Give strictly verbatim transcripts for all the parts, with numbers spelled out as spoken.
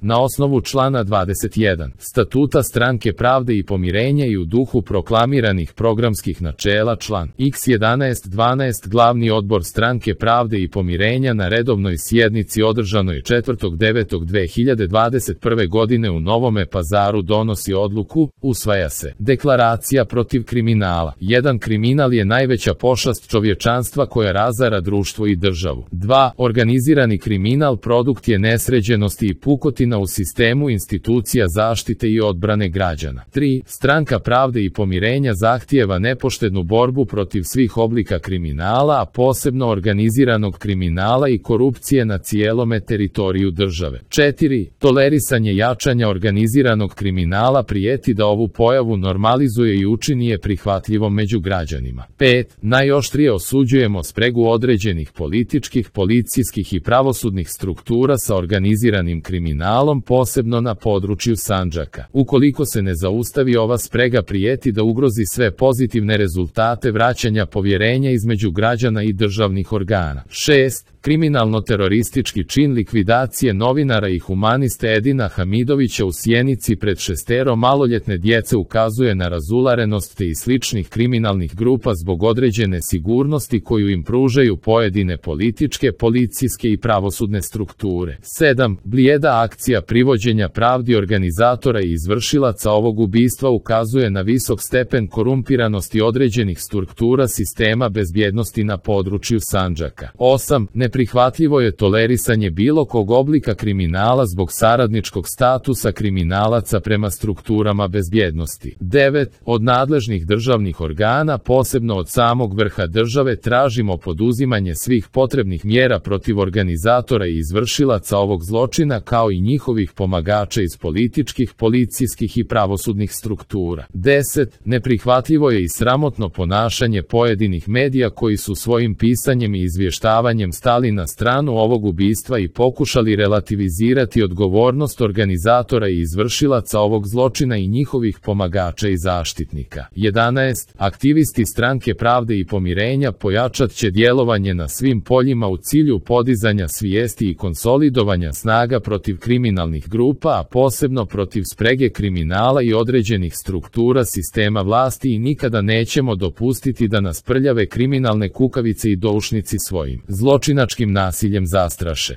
Na osnovu člana dvadeset jedan Statuta Stranke pravde i pomirenja i u duhu proklamiranih programskih načela član iks jedanaest dvanaest Glavni odbor Stranke pravde i pomirenja na redovnoj sjednici održanoj četvrtog devetog dve hiljade dvadeset prve. godine u Novome Pazaru donosi odluku, usvaja se Deklaracija protiv kriminala. jedan Kriminal je najveća pošast čovječanstva koja razara društvo i državu. dva Organizirani kriminal produkt je nesređenosti i pukotina u sistemu institucija zaštite i odbrane građana. tri Stranka pravde i pomirenja zahtijeva nepoštednu borbu protiv svih oblika kriminala, a posebno organiziranog kriminala i korupcije na cijelome teritoriju države. četiri Tolerisanje jačanja organiziranog kriminala prijeti da ovu pojavu normalizuje i učini je prihvatljivom među građanima. pet Najoštrije osuđujemo spregu određenih političkih, policijskih i pravosudnih struktura sa organiziranim kriminalom, posebno na području Sandžaka. Ukoliko se ne zaustavi ova sprega prijeti da ugrozi sve pozitivne rezultate vraćanja povjerenja između građana i državnih organa. šest Kriminalno-teroristički čin likvidacije novinara i humaniste Edina Hamidovića u Sjenici pred šestero maloljetne djece ukazuje na razularenost te i sličnih kriminalnih grupa zbog određene sigurnosti koju im pružaju pojedine političke, policijske i pravosudne strukture. sedam Blijeda akcija privođenja pravdi organizatora i izvršilaca ovog ubistva ukazuje na visok stepen korumpiranosti određenih struktura sistema bezbjednosti na području Sandžaka. osam Neprihvatljivo je tolerisanje bilo kog oblika kriminala zbog saradničkog statusa kriminalaca prema strukturama bezbjednosti. devet Od nadležnih državnih organa, posebno od samog vrha države, tražimo poduzimanje svih potrebnih mjera protiv organizatora i izvršilaca ovog zločina kao i njihovih pomagača iz političkih, policijskih i pravosudnih struktura. deset Neprihvatljivo je i sramotno ponašanje pojedinih medija koji su svojim pisanjem i izvještavanjem stali na stranu ovog ubistva i pokušali relativizirati odgovornost organizatora i izvršilaca ovog zločina i njihovih pomagača i zaštitnika. jedanaest Aktivisti Stranke pravde i pomirenja pojačat će djelovanje na svim poljima u cilju podizanja svijesti i konsolidovanja snaga protiv kriminalnih grupa, a posebno protiv sprege kriminala i određenih struktura sistema vlasti i nikada nećemo dopustiti da nas prljave kriminalne kukavice i doušnici svojim zločinačkim nasiljem zastraše.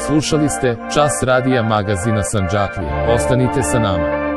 Slušali ste Čas radija magazina Sandžaklije. Ostanite sa nama.